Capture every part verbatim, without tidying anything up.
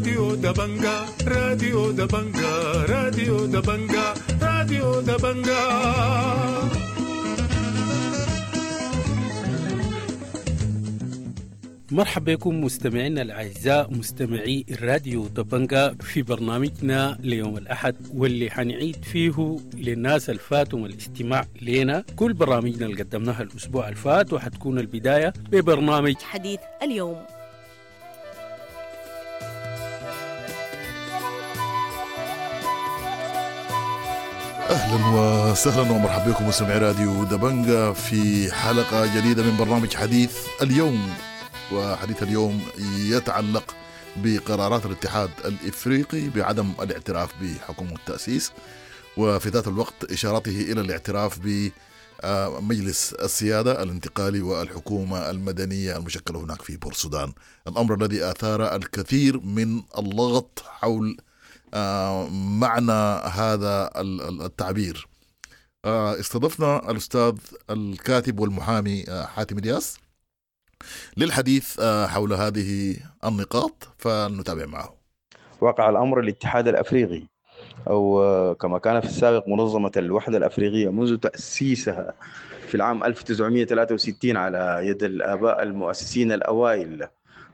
راديو دبنجا، راديو دبنجا، راديو دبنجا، راديو دبنجا. مرحبا بكم مستمعينا الأعزاء مستمعي الراديو دبنجا في برنامجنا ليوم الأحد، واللي حنعيد فيه للناس الفاتهم الاستماع لنا كل برامجنا اللي قدمناها الأسبوع الفات، وحتكون البداية ببرنامج حديث اليوم. أهلا وسهلا ومرحبا بكم مستمعي راديو دبنجا في حلقة جديدة من برنامج حديث اليوم. وحديث اليوم يتعلق بقرارات الاتحاد الإفريقي بعدم الاعتراف بحكومة التأسيس، وفي ذات الوقت إشارته إلى الاعتراف بمجلس السيادة الانتقالي والحكومة المدنية المشكلة هناك في بورسودان، الأمر الذي آثار الكثير من اللغط حول معنى هذا التعبير. استضفنا الأستاذ الكاتب والمحامي حاتم الياس للحديث حول هذه النقاط، فنتابع معه. وقع الأمر الاتحاد الأفريقي أو كما كان في السابق منظمة الوحدة الأفريقية منذ تأسيسها في العام ألف وتسعمائة وثلاثة وستين على يد الآباء المؤسسين الأوائل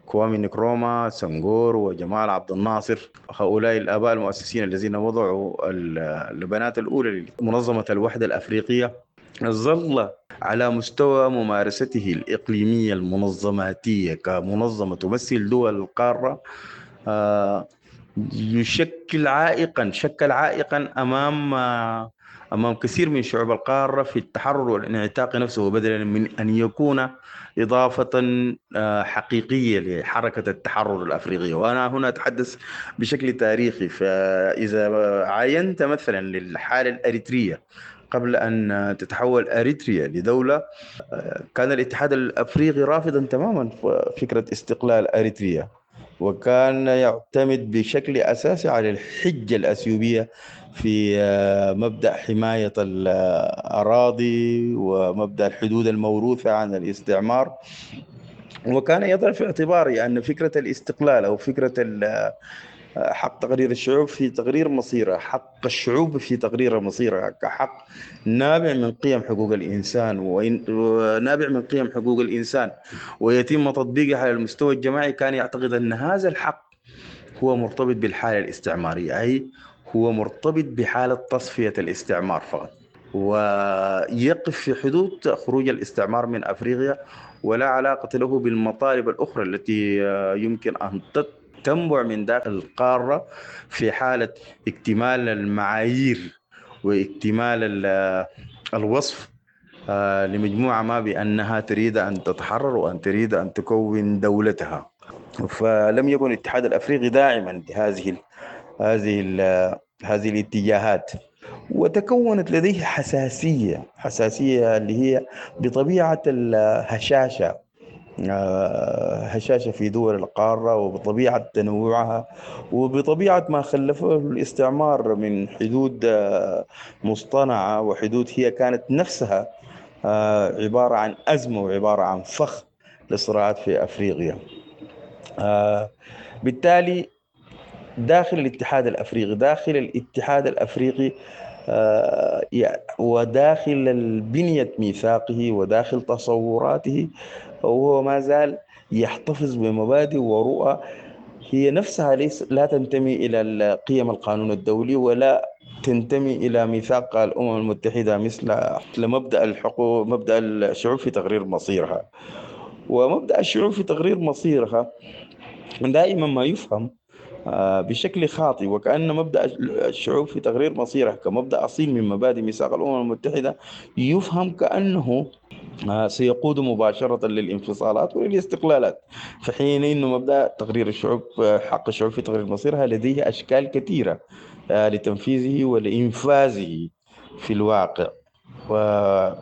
كوامي نكروما، سنغور، وجمال عبد الناصر. هؤلاء الآباء المؤسسين الذين وضعوا اللبنات الأولى لمنظمة الوحدة الأفريقية ظل على مستوى ممارسته الإقليمية المنظماتية كمنظمة تمثل دول القارة يشكل عائقا شكل عائقا أمام أمام كثير من شعوب القارة في التحرر والانعتاق نفسه، بدلا من أن يكون إضافة حقيقية لحركة التحرر الأفريقية. وأنا هنا أتحدث بشكل تاريخي، فإذا عاينت مثلا للحالة الأريترية قبل أن تتحول أريتريا لدولة، كان الاتحاد الأفريقي رافضا تماما فكرة استقلال أريتريا، وكان يعتمد بشكل أساسي على الحجة الأثيوبية في مبدأ حماية الأراضي ومبدأ الحدود الموروثة عن الاستعمار. وكان يضع في اعتباره أن فكرة الاستقلال أو فكرة حق تقرير الشعوب في تقرير مصيرها، حق الشعوب في تقرير مصيرها كحق نابع من قيم حقوق الإنسان ونابع من قيم حقوق الإنسان ويتم تطبيقه على المستوى الجماعي، كان يعتقد أن هذا الحق هو مرتبط بالحالة الاستعمارية، أي هو مرتبط بحالة تصفية الاستعمار فقط، ويقف في حدود خروج الاستعمار من أفريقيا، ولا علاقة له بالمطالب الأخرى التي يمكن أن تنبع من داخل القارة في حالة اكتمال المعايير واكتمال الوصف لمجموعة ما بأنها تريد أن تتحرر وأن تريد أن تكون دولتها. فلم يكن الاتحاد الأفريقي داعما لهذه هذه هذه الاتجاهات، وتكونت لديه حساسية حساسية اللي هي بطبيعة الهشاشة، هشاشة في دول القارة وبطبيعة تنوعها وبطبيعة ما خلفه الاستعمار من حدود مصطنعة وحدود هي كانت نفسها عبارة عن أزمة وعبارة عن فخ للصراعات في أفريقيا. بالتالي داخل الاتحاد الأفريقي داخل الاتحاد الأفريقي وداخل بنية ميثاقه وداخل تصوراته، وهو ما زال يحتفظ بمبادئ ورؤى هي نفسها ليس لا تنتمي إلى قيم القانون الدولي ولا تنتمي إلى ميثاق الأمم المتحدة، مثل مبدأ الحقوق، مبدأ الشعوب في تقرير مصيرها. ومبدأ الشعوب في تقرير مصيرها دائما ما يفهم بشكل خاطئ، وكأن مبدأ الشعوب في تقرير مصيرها كمبدأ أصيل من مبادئ ميثاق الأمم المتحدة يفهم كأنه سيقود مباشرة للانفصالات وللاستقلالات، في حين أنه مبدأ تقرير الشعوب، حق الشعوب في تقرير مصيرها، لديه أشكال كثيرة لتنفيذه ولإنفاذه في الواقع. و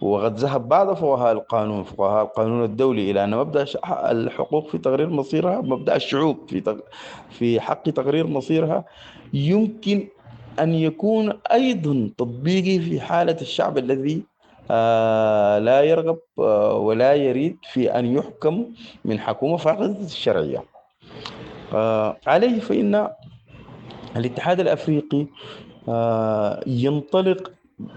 وقد ذهب بعض فقهاء القانون فقهاء القانون الدولي إلى أن مبدأ الحقوق في تقرير مصيرها، مبدأ الشعوب في تق... في حق تقرير مصيرها، يمكن أن يكون أيضا تطبيقي في حالة الشعب الذي آه لا يرغب آه ولا يريد في أن يحكم من حكومة فاقدة الشرعية. عليه فإن الاتحاد الأفريقي ينطلق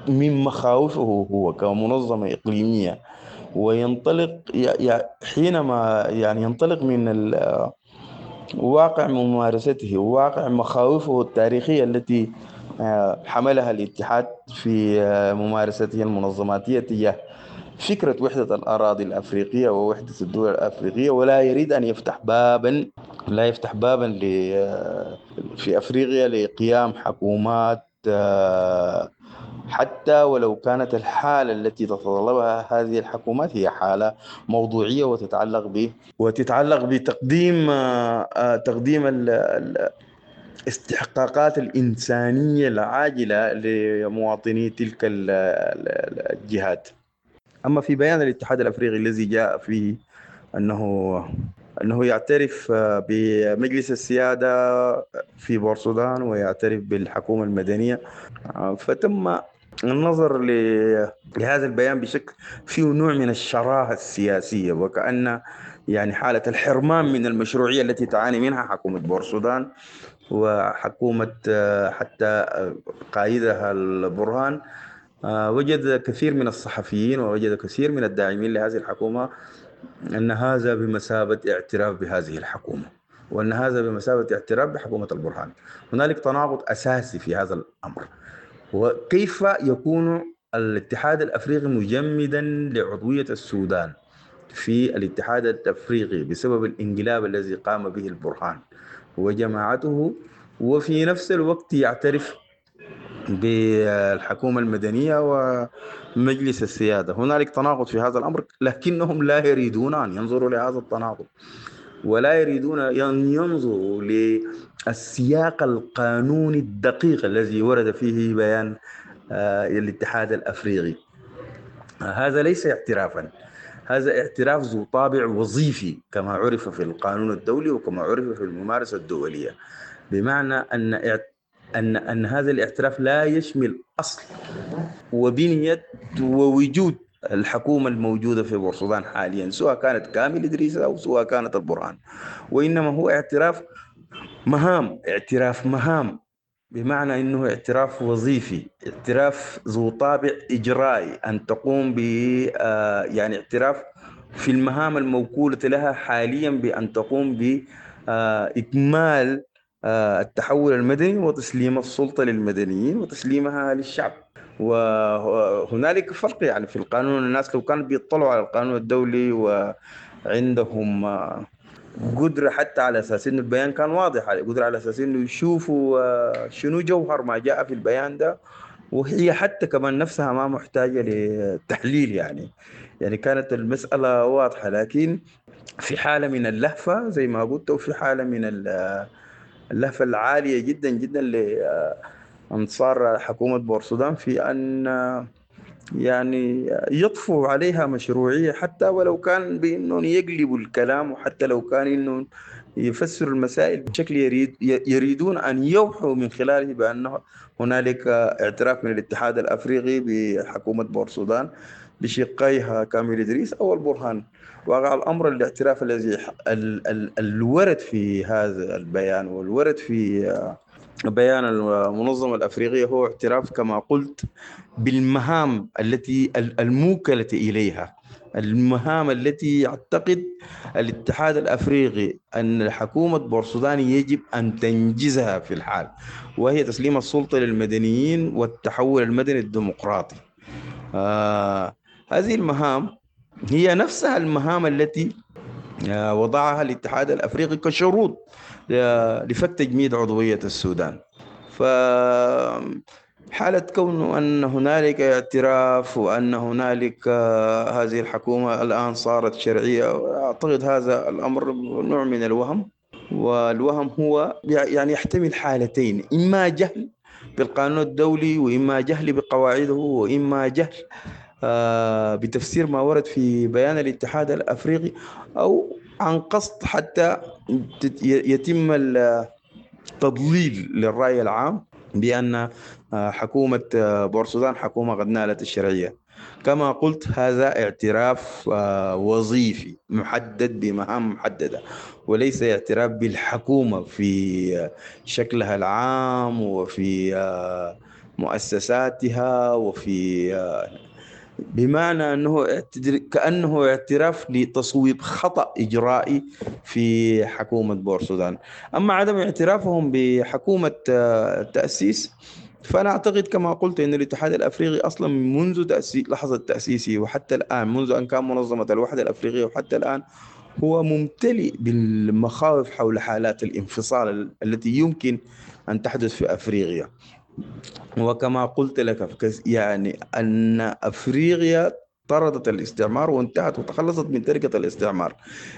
من مخاوفه هو كمنظمة إقليمية، وينطلق حينما يعني ينطلق من واقع ممارسته وواقع مخاوفه التاريخية التي حملها الاتحاد في ممارسته المنظماتية تجاه فكرة وحدة الأراضي الأفريقية ووحدة الدول الأفريقية، ولا يريد أن يفتح بابا لا يفتح بابا في أفريقيا لقيام حكومات حتى ولو كانت الحالة التي تتطلبها هذه الحكومات هي حالة موضوعية وتتعلق ب وتتعلق بتقديم تقديم الاستحقاقات الإنسانية العاجلة لمواطني تلك الجهات. أما في بيان الاتحاد الأفريقي الذي جاء فيه أنه أنه يعترف بمجلس السيادة في بورسودان ويعترف بالحكومة المدنية، فتم النظر لهذا البيان بشكل فيه نوع من الشراهة السياسية، وكأن يعني حالة الحرمان من المشروعية التي تعاني منها حكومة بورسودان وحكومة حتى قائدها البرهان. وجد كثير من الصحفيين ووجد كثير من الداعمين لهذه الحكومة أن هذا بمثابة اعتراف بهذه الحكومة، وأن هذا بمثابة اعتراف بحكومة البرهان. هنالك تناقض أساسي في هذا الأمر. وكيف يكون الاتحاد الأفريقي مجمدا لعضوية السودان في الاتحاد الأفريقي بسبب الانقلاب الذي قام به البرهان وجماعته، وفي نفس الوقت يعترف بالحكومة المدنية ومجلس السيادة؟ هنالك تناقض في هذا الأمر، لكنهم لا يريدون أن ينظروا لهذا التناقض، ولا يريدون أن ينظروا للسياق القانوني الدقيق الذي ورد فيه بيان الاتحاد الأفريقي. هذا ليس اعترافا، هذا اعتراف ذو طابع وظيفي كما عرف في القانون الدولي وكما عرف في الممارسة الدولية، بمعنى أن أن أن هذا الاعتراف لا يشمل أصل وبنية ووجود الحكومة الموجودة في بورسودان حاليا، سواء كانت كامل إدريس أو سواء كانت البرهان، وإنما هو اعتراف مهام، اعتراف مهام بمعنى أنه اعتراف وظيفي، اعتراف ذو طابع إجرائي، أن تقوم ب يعني اعتراف في المهام الموكولة لها حاليا بأن تقوم بإكمال التحول المدني وتسليم السلطة للمدنيين وتسليمها للشعب. وهنالك فرق يعني في القانون، الناس لو كانوا بيطلعوا على القانون الدولي وعندهم قدرة حتى على أساس إنه البيان كان واضح، قدرة على أساس إنه يشوفوا شنو جوهر ما جاء في البيان ده، وهي حتى كمان نفسها ما محتاجة لتحليل، يعني يعني كانت المسألة واضحة. لكن في حالة من اللهفة زي ما قلت، وفي حالة من اللهفة العالية جدا جدا لأنصار حكومة بورسودان في أن يعني يطفوا عليها مشروعية، حتى ولو كان بأنهم يقلبوا الكلام، وحتى لو كان أنهم يفسروا المسائل بشكل يريد يريدون أن يوحوا من خلاله بأنه هنالك اعتراف من الاتحاد الأفريقي بحكومة بورسودان بشقيها كامل إدريس أو البرهان. واقع الأمر الاعتراف الذي الورد في هذا البيان والورد في بيان المنظمة الأفريقية هو اعتراف كما قلت بالمهام التي الموكلة إليها، المهام التي يعتقد الاتحاد الأفريقي أن حكومة بورسودان يجب أن تنجزها في الحال، وهي تسليم السلطة للمدنيين والتحول المدني الديمقراطي. آه هذه المهام هي نفسها المهام التي وضعها الاتحاد الأفريقي كشروط لفك تجميد عضوية السودان. فحالة كونه أن هنالك اعتراف وأن هنالك هذه الحكومة الآن صارت شرعية، أعتقد هذا الأمر نوع من الوهم، والوهم هو يعني يحتمل حالتين: إما جهل بالقانون الدولي، وإما جهل بقواعده، وإما جهل بتفسير ما ورد في بيان الاتحاد الأفريقي، أو عن قصد حتى يتم التضليل للرأي العام بأن حكومة بورسودان حكومة قد نالت الشرعية. كما قلت هذا اعتراف وظيفي محدد بمهام محددة، وليس اعتراف بالحكومة في شكلها العام وفي مؤسساتها وفي، بمعنى أنه كأنه اعتراف لتصويب خطأ إجرائي في حكومة بورسودان. أما عدم اعترافهم بحكومة التأسيس فأنا أعتقد كما قلت أن الاتحاد الأفريقي أصلا منذ تأسيس لحظة تأسيسه وحتى الآن، منذ أن كان منظمة الوحدة الأفريقية وحتى الآن، هو ممتلئ بالمخاوف حول حالات الانفصال التي يمكن أن تحدث في أفريقيا. وكما قلت لك يعني أن أفريقيا طردت الاستعمار وانتهت وتخلصت من تركة الاستعمار،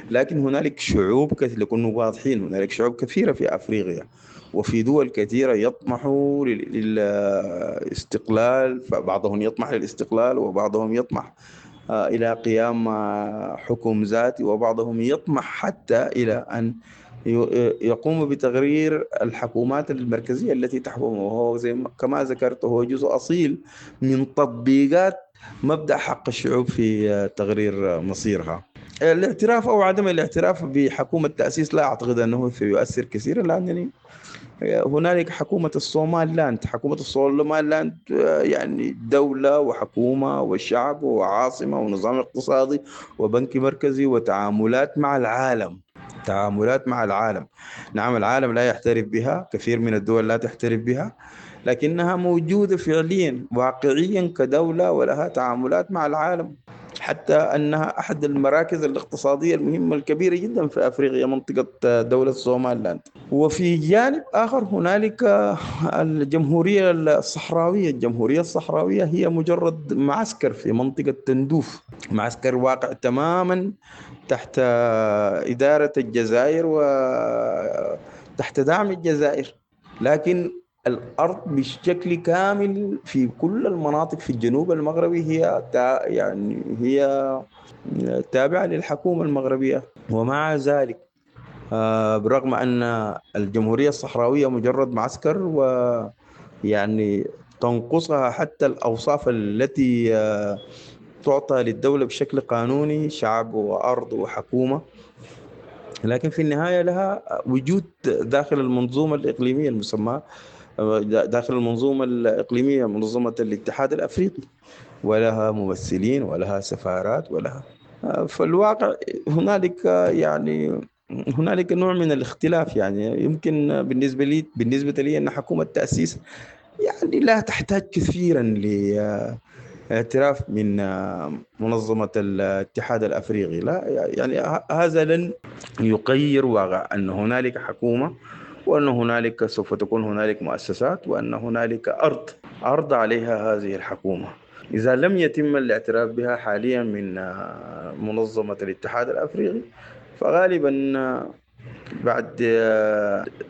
لكن هنالك شعوب كثيرة، لكنا واضحين، هنالك شعوب كثيرة في أفريقيا وفي دول كثيرة يطمحوا للاستقلال، فبعضهم يطمح للاستقلال وبعضهم يطمح إلى قيام حكم ذاتي، وبعضهم يطمح حتى إلى أن يقوم بتغيير الحكومات المركزية التي تحكمه، وهو زي كما ذكرت هو جزء أصيل من تطبيقات مبدأ حق الشعوب في تغيير مصيرها. الاعتراف أو عدم الاعتراف بحكومة التأسيس لا أعتقد أنه سيؤثر كثيرا، لأنني هنالك حكومة الصومال لاند، حكومة الصومال لاند يعني دولة وحكومة والشعب وعاصمة ونظام اقتصادي وبنك مركزي وتعاملات مع العالم، تعاملات مع العالم. نعم العالم لا يعترف بها، كثير من الدول لا تعترف بها، لكنها موجودة فعليا واقعيا كدولة ولها تعاملات مع العالم، حتى أنها أحد المراكز الاقتصادية المهمة الكبيرة جدا في أفريقيا، منطقة دولة الصومال. وفي جانب آخر هنالك الجمهورية الصحراوية. الجمهورية الصحراوية هي مجرد معسكر في منطقة تندوف، معسكر واقع تماما تحت إدارة الجزائر وتحت دعم الجزائر، لكن الأرض بشكل كامل في كل المناطق في الجنوب المغربي هي يعني هي تابعة للحكومة المغربية. ومع ذلك برغم أن الجمهورية الصحراوية مجرد معسكر ويعني تنقصها حتى الأوصاف التي تعطى للدولة بشكل قانوني، شعب وأرض وحكومة، لكن في النهاية لها وجود داخل المنظومة الإقليمية المسمى داخل المنظومة الإقليمية منظمة الاتحاد الأفريقي، ولها ممثلين ولها سفارات ولها. فالواقع هنالك يعني هنالك نوع من الاختلاف. يعني يمكن بالنسبة لي بالنسبة لي أن حكومة التأسيس يعني لا تحتاج كثيرا لاعتراف من منظمة الاتحاد الأفريقي، لا يعني هذا لن يغير واقع أن هنالك حكومة، وأن هنالك سوف تكون هنالك مؤسسات، وأن هنالك أرض أرض عليها هذه الحكومة. إذا لم يتم الاعتراف بها حاليا من منظمة الاتحاد الأفريقي فغالبا بعد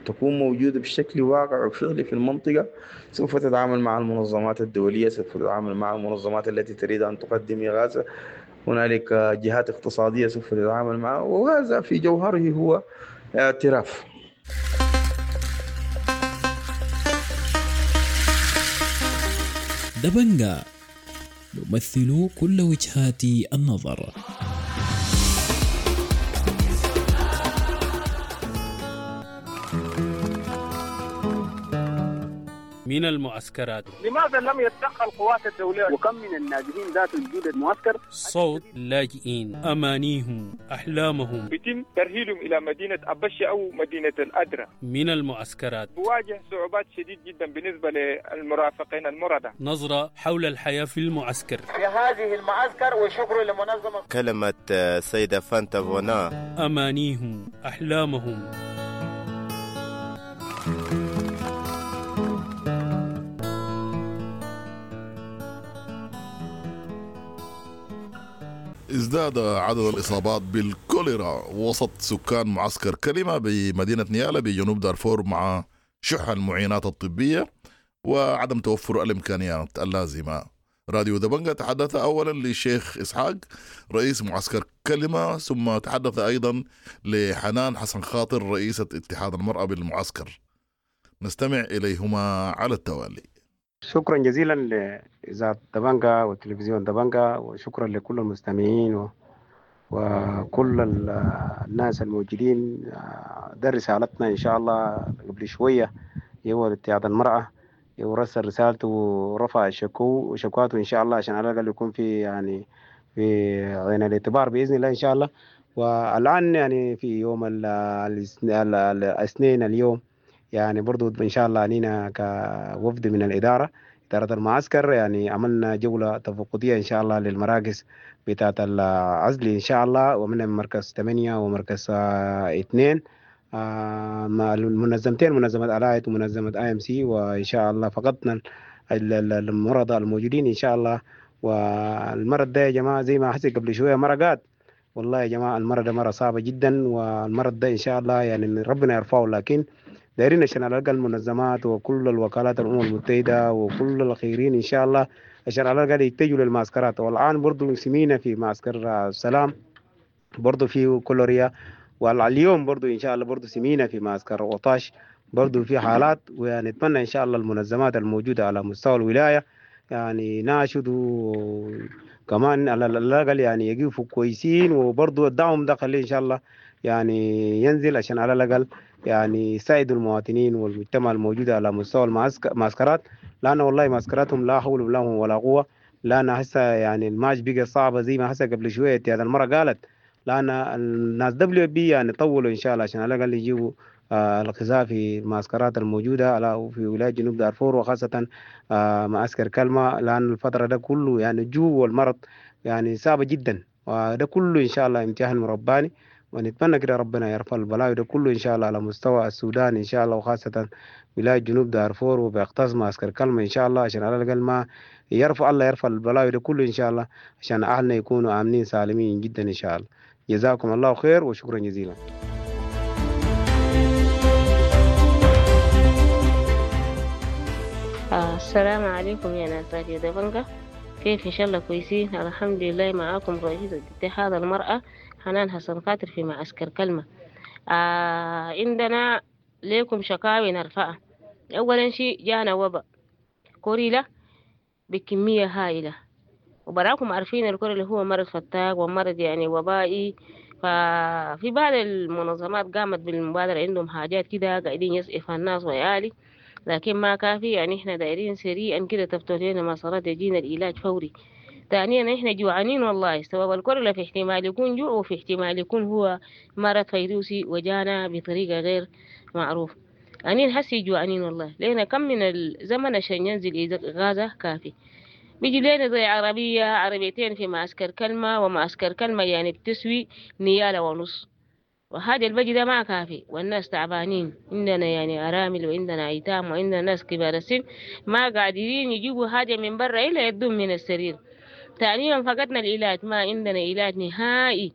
تكون موجودة بشكل واقع وفعلي في المنطقة سوف تتعامل مع المنظمات الدولية، سوف تتعامل مع المنظمات التي تريد أن تقدم إغاثة، هنالك جهات اقتصادية سوف تتعامل معها، وهذا في جوهره هو اعتراف. دبنجا نمثل كل وجهات النظر. من المعسكرات لماذا لم يتدخل القوات الدولية؟ وكم من النازحين ذات وجود المعسكر؟ صوت اللاجئين، أمانيهم، أحلامهم، يتم ترحيلهم إلى مدينة أبشة أو مدينة الأدرة. من المعسكرات بواجه صعوبات شديد جدا بالنسبة للمرافقين المرضى. نظرة حول الحياة في المعسكر في هذه المعسكر، وشكر لمنظمة كلمة سيدة فانتا فونا. أمانيهم، أحلامهم. ازداد عدد الإصابات بالكوليرا وسط سكان معسكر كلمة بمدينة نيالا بجنوب دارفور مع شح المعينات الطبية وعدم توفر الإمكانيات اللازمة. راديو دبنجا تحدث أولا للشيخ إسحاق رئيس معسكر كلمة، ثم تحدث أيضا لحنان حسن خاطر رئيسة اتحاد المرأة بالمعسكر. نستمع إليهما على التوالي. شكرا جزيلا لإذاعة دبنجا وتلفزيون دبنجا، وشكرا لكل المستمعين و... وكل الناس الموجودين. ده رسالتنا إن شاء الله قبل شوية هو اتحاد المرأة ورسل رسالته ورفع شكو شكواته إن شاء الله، عشان على الأقل يكون في يعني في عين الاعتبار بإذن الله إن شاء الله. والآن يعني في يوم الاثنين اليوم يعني برضو إن شاء الله علينا كوفد من الإدارة إدارة المعسكر يعني عملنا جولة تفقدية إن شاء الله للمراكز بتاعة العزل إن شاء الله، ومن مركز ثمانية ومركز اثنين المنظمتين، منظمة ألايت ومنظمة آي إم سي، وإن شاء الله فقدنا المرضى الموجودين إن شاء الله. والمرض ده يا جماعة زي ما حسيت قبل شوية مرقات، والله يا جماعة المرض ده مرة صعبة جدا، والمرض ده إن شاء الله يعني ربنا يرفعه، لكن دايرين عشان على الأقل المنظمات وكل الوكالات الأمم المتحدة وكل الخيرين إن شاء الله عشان على الأقل يتجهوا للمعسكرات. والآن برضو سمينا في معسكر السلام برضو في كولوريا، واليوم برضو إن شاء الله برضو سمينا في معسكر وطاش برضو في حالات. ونتمنى إن شاء الله المنظمات الموجودة على مستوى الولاية يعني ناشدوا كمان على الأقل يعني يقفوا كويسين، وبرضو الدعم ده خليه إن شاء الله يعني ينزل عشان على الأقل يعني يساعدوا المواطنين والمجتمع الموجود على مستوى المعسكرات، لأن والله معسكراتهم لا حول لهم ولا قوة. لأن هسه يعني الماتش بقى صعبة زي ما هسه قبل شوية هذا المرة قالت، لأن الناس دبليو بي يعني طولوا إن شاء الله عشان على الأقل يجيبوا آه الغذاء في المعسكرات الموجودة على في ولاية جنوب دارفور، وخاصة آه معسكر كلمة، لأن الفترة ده كله يعني الجوع والمرض يعني صعبة جدا، وده كله إن شاء الله امتحان رباني، ونتمنى كده ربنا يرفع البلاء ده كله إن شاء الله على مستوى السودان إن شاء الله، وخاصة ولاية جنوب دارفور وبيختص معسكر كلمة إن شاء الله، عشان على الأقل ما يرفع الله يرفع البلاء ده كله إن شاء الله، عشان أهلنا يكونوا آمنين سالمين جدا إن شاء الله. جزاكم الله خير وشكرا جزيلا. آه السلام عليكم يا ناس راديو دبنجا، كيف إن شاء الله كويسين؟ الحمد لله. معاكم رئيسة اتحاد المرأة حنان حسن خاطر في معسكر كلمة. آه عندنا ليكم شكاوي نرفعها. أولا شيء جانا وباء كوريلا بكمية هائلة، وبراكم عارفين الكوريلا هو مرض فتاك ومرض يعني وبائي. ففي بعض المنظمات قامت بالمبادرة، عندهم حاجات كده قاعدين يسقف الناس ويالي، لكن ما كافي. يعني احنا دايرين سريعا كده تفتح لنا مسارات يجينا العلاج فوري. ثانيا احنا جوعانين والله، سبب الكورونا في احتمال يكون جوع، وفي احتمال يكون هو مرض فيروسي وجانا بطريقة غير معروف. يعني حسي جوعانين والله، لنا كم من الزمن عشان ينزل غازة كافي. بيجي لنا زي عربية عربيتين في معسكر كلمة، ومعسكر كلمة يعني بتسوي نيالة ونص، وهذا البجي ده ما كافي، والناس تعبانين. عندنا يعني أرامل وعندنا أيتام وعندنا ناس كبار السن ما قادرين يجيبوا حاجة من برا إلا يدوم من السرير. ثانيا فقدنا العلاج، ما عندنا علاج نهائي.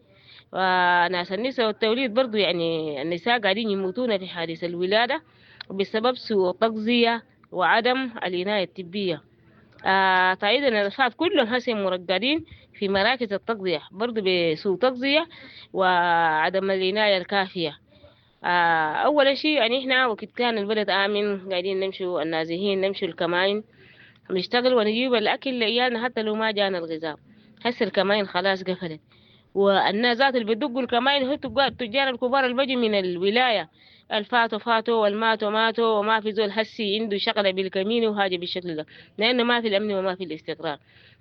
وناس النساء والتوليد برضو يعني النساء قاعدين يموتون في حادث الولادة بسبب سوء التغذية وعدم العناية الطبية. آه طيب الأطفال كلهم هسه مرقدين في مراكز التغذية برضو بسوء تغذية وعدم العناية الكافية. آه أول شيء يعني إحنا وقت كان البلد آمن قاعدين نمشوا النازحين، نمشوا الكمائن نشتغل ونجيب الأكل لعيالنا حتى لو ما جانا الغذاء. هسه الكمائن خلاص قفلت، والناس ذات اللي بيدقوا الكمائن هو التجار الكبار اللي بيجوا من الولاية، الفاتوا فاتوا والماتوا ماتوا، وما في زول هسي عنده شغلة بالكمين وحاجة بالشكل ده، لأنه ما في الأمن وما في الاستقرار.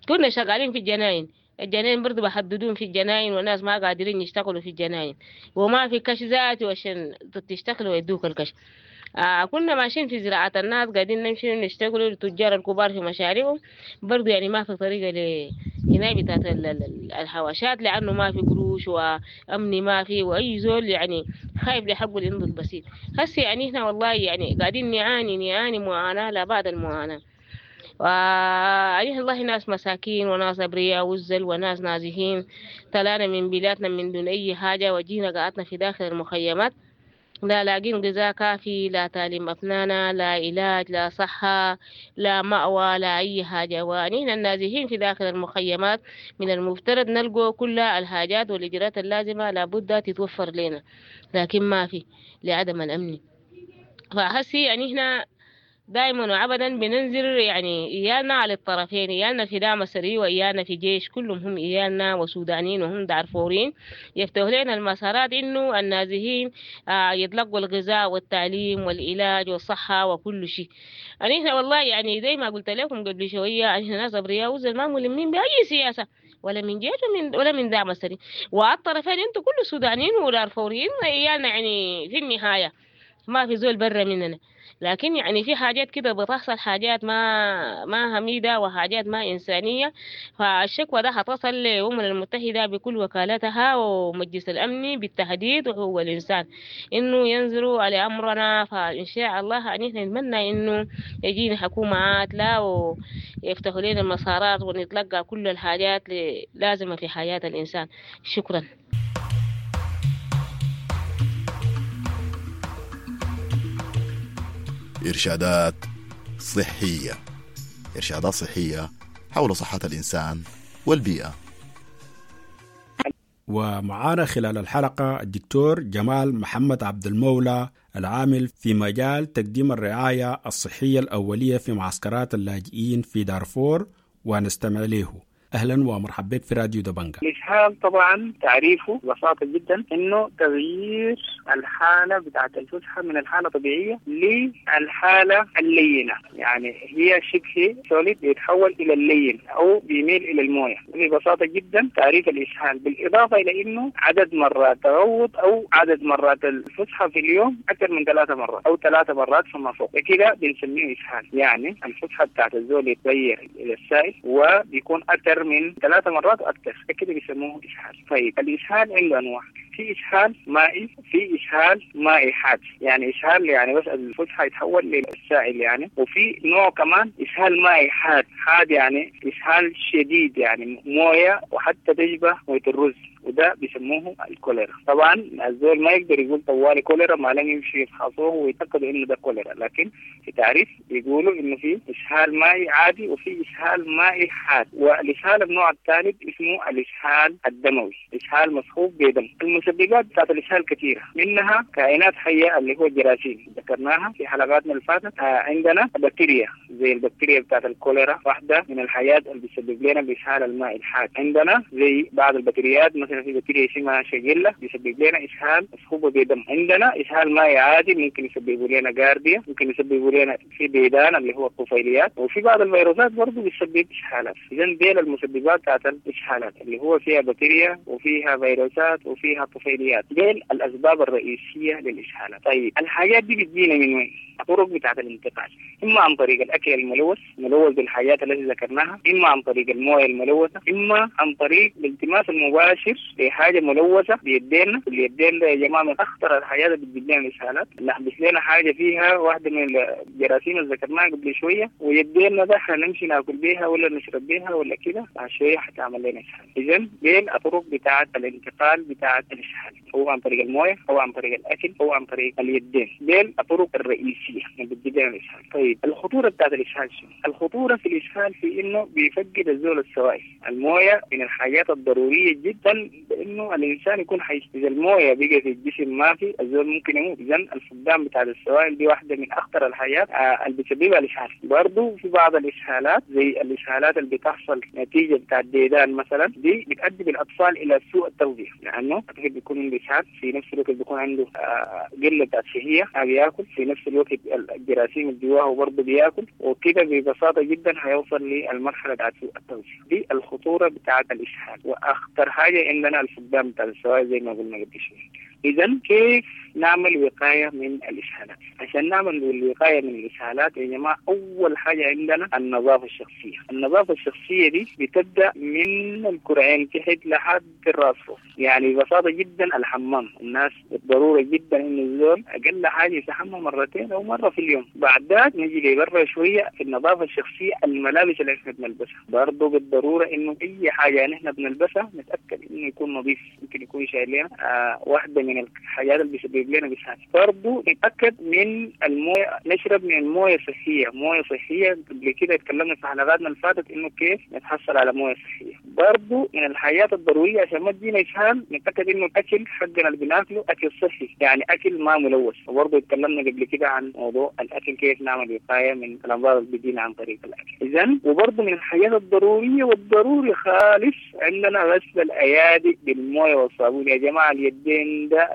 كنا شغالين في الجناين، الجناين برضو بحددون في الجناين، والناس ما قادرين يشتغلوا في الجناين، وما في كش ذاتي عشان تشتغلوا ويدوك الكش. آه كنا ماشيين في زراعة الناس قاعدين نمشي نشتغلوا التجار الكبار في مشاريعهم برضو، يعني ما في طريقة ل هنا بتاعت الحواشات، لأنه ما في قروش وأمني ما في، وأي زول يعني خايف لحقه اللي عنده البسيط. هسه يعني إحنا والله يعني قاعدين نعاني نعاني معاناة لا بعد المعاناة. وعليه الله ناس مساكين وناس أبرياء وزل وناس نازحين، طلعنا من بلادنا من دون أي حاجة وجينا قعدنا في داخل المخيمات، لا لاقين غذاء كافي، لا تعليم أبنائنا، لا علاج، لا صحة، لا مأوى، لا أي حاجة. ونحن النازحين في داخل المخيمات من المفترض نلقوا كل الحاجات والإجراءات اللازمة لابد تتوفر لنا، لكن ما في لعدم الأمن. فهسي يعني إحنا دائما وابدا بننزل يعني إيالنا على الطرفين، إيالنا في دعم سري وإيالنا في جيش، كلهم هم إيالنا وسودانيين وهم دارفوريين، يفتحوا لنا المسارات إنه النازحين آه يتلقوا الغذاء والتعليم والعلاج والصحة وكل شيء. يعني إحنا والله يعني زي ما قلت لكم قبل شوية إحنا ناس أبرياء وزي ما ملمين بأي سياسة ولا من جيش ومن ولا من دعم سري، والطرفين انتوا كل سودانيين ودارفوريين إيالنا يعني في النهاية ما في زول برا مننا. لكن يعني في حاجات كده بتحصل، حاجات ما ما هميدة وحاجات ما إنسانية، فالشكوى ده هتصل للأمم المتحدة بكل وكالاتها ومجلس الأمن بالتهديد وحقوق الإنسان إنه ينظروا على أمرنا. فإن شاء الله أن إحنا نتمنى إنه يجينا حكومة عادلة ويفتحوا لنا المسارات ونتلقى كل الحاجات لازمة في حياة الإنسان. شكرا. إرشادات صحية، إرشادات صحية حول صحة الإنسان والبيئة. ومعانا خلال الحلقة الدكتور جمال محمد عبد المولى العامل في مجال تقديم الرعاية الصحية الأولية في معسكرات اللاجئين في دارفور، ونستمع له. أهلا ومرحبا بك في راديو دبنجا. الإسهال طبعا تعريفه ببساطة جدا إنه تغيير الحالة بتاعة الفسحة من الحالة الطبيعية للحالة اللينة، يعني هي شبه solid بيتحول إلى اللين أو بيميل إلى الموية. ببساطة جدا تعريف الإسهال، بالإضافة إلى إنه عدد مرات تغوط أو عدد مرات الفسحة في اليوم أكثر من ثلاثة مرات أو ثلاثة مرات فما فوق، كده بنسميه إسهال. يعني الفسحة بتاعة الزول يتغير إلى السائل وبيكون أكثر من ثلاثة مرات وأكثر، كده بيسموه إسهال. طيب الإسهال عنده أنواع، في إسهال مائي، في إسهال مائي حاد، يعني إسهال يعني بس الفسحة يتحول للسائل يعني، وفي نوع كمان إسهال مائي حاد، حاد يعني إسهال شديد يعني موية وحتى تشبه موية الرز، وده بيسموه الكوليرا. طبعا الزول ما يقدر يقول طوالي كوليرا ما لم يمشي يفحصوه ويتأكدوا انه ده كوليرا، لكن في تعريف بيقولوا انه في اسهال مائي عادي وفي اسهال مائي حاد. والاسهال النوع الثالث اسمه الاسهال الدموي، اسهال مصحوب بدم. المسببات بتاعت الاسهال كثيره، منها كائنات حيه اللي هو الجراثيم ذكرناها في حلقاتنا اللي فاتت، عندنا بكتيريا زي البكتيريا بتاعت الكوليرا واحده من الحاجات اللي بتسبب لنا الاسهال المائي الحاد. عندنا زي بعض البكتيريات مثلا في بكتيريا اسمها شجلة بيسبب لنا إسهال مصحوبة بدم. عندنا إسهال مائي عادي ممكن يسببوا لنا جارديا، ممكن يسببوا لنا في ديدان اللي هو الطفيليات، وفي بعض الفيروسات برضه بتسبب إسهالات. إذا ديل المسببات بتاعت الإسهالات اللي هو فيها بكتيريا وفيها فيروسات وفيها طفيليات، ديل الأسباب الرئيسية للإسهالات. طيب الحاجات دي بتجينا من وين؟ الطرق بتاعت الانتقال، إما عن طريق الأكل الملوث ملوث بالحاجات التي ذكرناها، إما عن طريق المويه الملوثة، إما عن طريق الالتماس المباشر لحاجة ملوثة بيدينا. اليدين ده يا جماعة من أخطر الحاجات اللي بتجيب لنا الإسهالات، نحبس لنا حاجة فيها واحدة من الجراثيم اللي ذكرناها قبل شوية، ويدينا ده احنا نمشي ناكل بيها ولا نشرب بيها ولا كده، بعد شوية حتعمل لنا إسهال. إذن دي الطرق بتاعت الانتقال بتاعت الإسهال، هو عن طريق المويه أو عن طريق الأكل أو عن طريق اليدين، دي الطرق الرئيسية اللي بتجيب لنا الإسهال. طيب الخطورة بتاعت الإسهال شنو؟ الخطورة في الإسهال في إنه بيفقد الزول السوائل، المويه من الحاجات الضرورية جدا بإنه الإنسان يكون حي، إذا المويه بقى في الجسم ما في الزول ممكن يموت. إذا الفقدان بتاع السوائل دي واحدة من أخطر الحاجات اللي بتسببها الإسهال. برضه في بعض الإسهالات زي الإسهالات اللي بتحصل نتيجة بتاع الديدان مثلا، دي بتؤدي بالأطفال إلى سوء التغذية، لأنه الطفل بيكون عنده إسهال، في نفس الوقت بيكون عنده قلة شهية ما بياكل، في نفس الوقت الجراثيم اللي جواه برضه بياكل، وكده ببساطة جدا هيوصل للمرحلة بتاعت سوء التغذية. دي الخطورة بتاعت الإسهال، وأخطر حاجة عندنا الفقدان بتاع السوائل زي ما قلنا قبل شوية. إذا كيف نعمل وقاية من الإسهالات؟ عشان نعمل الوقاية من الإسهالات يا جماعة أول حاجة عندنا النظافة الشخصية. النظافة الشخصية دي بتبدأ من الكرعين تحت لحد الراس فوق، يعني ببساطة جدا الحمام، الناس بالضرورة جدا إنه الزول أقل حاجة يستحمى مرتين أو مرة في اليوم. بعد ذاك نجي لبرا شوية في النظافة الشخصية، الملابس اللي احنا بنلبسها برضه بالضرورة إنه أي حاجة نحن بنلبسها نتأكد إنه يكون نظيف، ممكن يكون شايل لنا آه واحدة من الحاجات اللي بيسبب لنا إسهال. برضه نتأكد من المويه، نشرب من المويه صحية، مويه صحية قبل كده اتكلمنا في حلقاتنا اللي فاتت إنه كيف نتحصل على مويه صحية. برضه من الحاجات الضرورية عشان ما تجينا إسهال نتأكد إنه الأكل حقنا اللي بناكله اكل صحي، يعني اكل ما ملوث. وبرضه اتكلمنا قبل كده عن موضوع الاكل كيف نعمل وقاية من الامراض اللي بتجينا عن طريق الاكل. اذا وبرضه من الحاجات الضرورية والضروري خالص عندنا غسل الايادي بالمويه والصابون. يا جماعة اليدين ده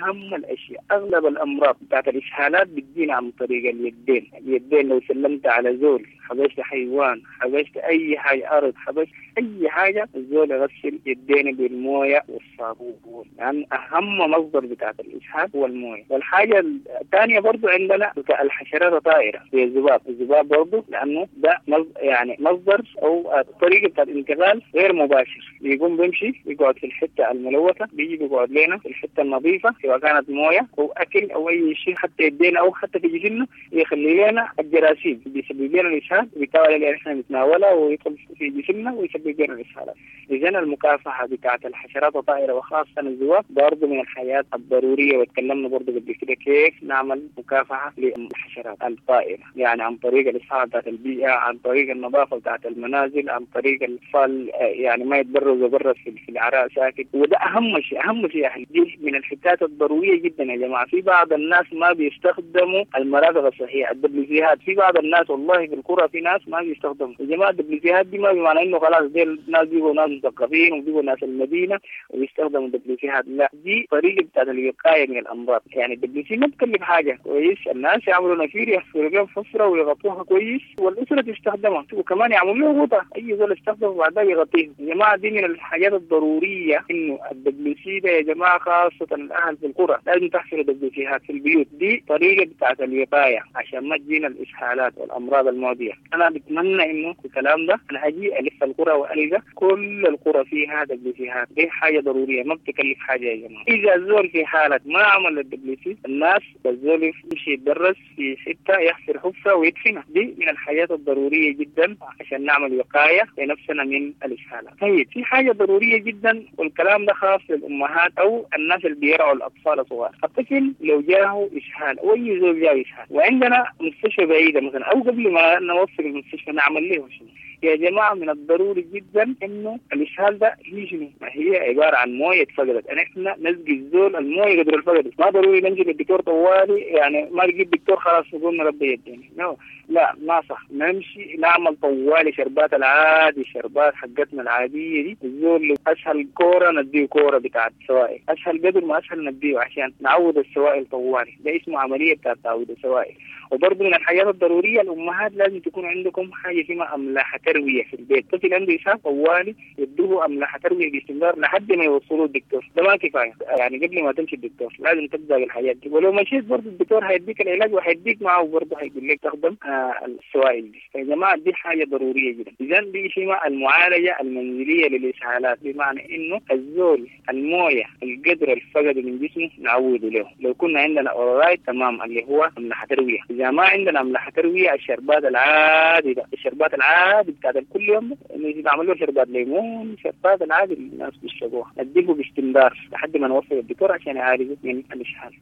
اهم الاشياء. اغلب الامراض بتاعت الاسهالات بتجينا عن طريق اليدين. اليدين لو سلمت على زول، حبشت حيوان، حبشت اي حاجة، ارض، حبشت اي حاجة، الزول يغسل يدينه بالمويه والصابون، لان يعني اهم مصدر بتاعت الاسهال هو المويه. والحاجة الثانية برضو عندنا الحشرات الطائرة زي الذباب. الذباب برضو لانه ده يعني مصدر او طريقه بتاعت الانتقال غير مباشر، بيقوم بيمشي بيقعد في الحتة الملوثة، بيجي بيقعد لنا في الحتة النظيفة سواء كانت مويه او اكل او اي شيء، حتى يدينا او حتى في جسمنا يخلي لنا الجراثيم، بيسبب لنا الاسهال، وبالتالي اللي احنا نتناولها ويدخل في جسمنا ويسبب لنا الاسهالات. اذا المكافحه بتاعت الحشرات الطائرة وخاصة الذباب برضه من الحاجات الضرورية، وتكلمنا برضه قبل كده كيف نعمل مكافحة للحشرات الطائرة، يعني عن طريق الاصحاح بتاعت البيئة، عن طريق النظافة بتاعت المنازل، عن طريق الاطفال يعني ما يتبرزوا برا في العراء ساكت. وده اهم شيء، اهم شيء يعني دي من الحتات الضرورية جدا يا جماعة. في بعض الناس ما بيستخدموا المرافق الصحية، الدبليوسيهات. في بعض الناس والله في القرى في ناس ما بيستخدموا يا جماعة الدبليوسيهات دي. ما بمعنى انه خلاص دي الناس بيبقوا ناس مثقفين وبيبقوا ناس المدينة وبيستخدموا الدبليوسيهات، لا، دي طريقه بتاعت الوقاية من الامراض. يعني الدبليوسي ما تكلف حاجة، كويس، الناس يعملوا نفير يحفروا بيهم حفره ويغطوها كويس والاسرة تستخدمها، وكمان يعملوا له غطاء، اي زول يستخدمه وبعدها يغطيه. يا جماعة دي من الحاجات الضرورية انه الدبليوسي ده يا جماعة خاصة الاهل في القرى لازم تحفروا دبليوسيهات في البيوت، دي طريقه بتاعت الوقاية عشان ما تجينا الاسهالات والامراض المعدية. انا بتمنى انه الكلام ده انا اجي الف القرى والقى كل القرى فيها دبليوسيهات، دي حاجة ضرورية ما بتكلف حاجة يا جماعة. اذا الزول في حاله ما عمل الدبليوسي، الناس الزول يمشي يتدرس في حتة يحفر حفره ويدفنها، دي من الحاجات الضرورية جدا عشان نعمل وقاية لنفسنا من الاسهالات. طيب في حاجة ضرورية جدا، والكلام ده خاص للامهات او الناس اللي بيرعوا الاطفال الصغار. الطفل لو جاءه اسهال او اي زول جاءه اسهال وعندنا مستشفى بعيدة مثلا، او قبل ما نوصل المستشفى نعمل له شنو؟ يا جماعة من الضروري جدا انه الاسهال ده هي شنو؟ ما هي عبارة عن مويه اتفقدت، احنا نسقي الزول المويه قدر الفقدت، ما ضروري نمشي للدكتور طوالي، يعني ما نجيب دكتور خلاص نقول ربي يديني، no. لا ما صح، نمشي نعمل طوالي شربات العادي، شربات حقتنا العادية دي، الزول اسهل كورة نديه كورة بتاعت سوائل، اسهل قدر ما اسهل نديه عشان نعوض السوائل طوالي، ده اسمه عملية بتاعت تعويض السوائل. وبرضه من الحاجات الضرورية الامهات لازم تكون عندكم حاجة اسمها املاح ترويه في البيت، طفل عنده اسهال طوالي يدوه املاح ترويه باستمرار لحد ما يوصلوه الدكتور، ده ما كفاية، يعني قبل ما تمشي الدكتور لازم تبدا بالحاجات دي، ولو مشيت برضه الدكتور هيديك العلاج وهيديك معه برضه هيقول لك تستخدم آه السوائل دي. فيا جماعة دي حاجة ضرورية جدا. اذا دي اسمها المعالجة المنزلية للاسهالات، بمعنى انه الزول المويه القدر الفقد من جسمه نعوده له، لو كنا عندنا اورايت تمام اللي هو املاح ترويه، اذا ما عندنا املاح ترويه الشربات العادي ده، الشربات العادي بتاعت كل يوم نعمل له شربات ليمون، شربات العادي اللي الناس بيشربوها، نديه باستمرار لحد ما نوصل الدكتور عشان يعالجه من الاسهال.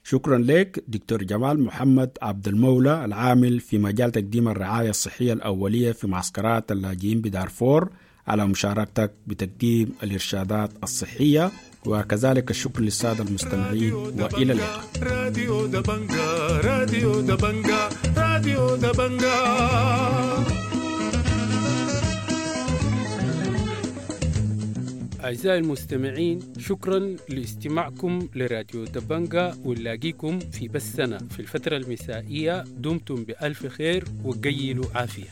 شكرا لك دكتور جمال محمد عبد المولى العامل في مجال تقديم الرعاية الصحية الأولية في معسكرات اللاجئين بدارفور على مشاركتك بتقديم الإرشادات الصحية، وكذلك الشكر للسادة المستمعين، وإلى اللقاء. راديو دبنجا، راديو دبنجا، راديو دبنجا. أعزائي المستمعين، شكرا لاستماعكم لراديو دبنجا، ونلاقيكم في بثنا في الفترة المسائية. دمتم بألف خير وقيلوا عافية.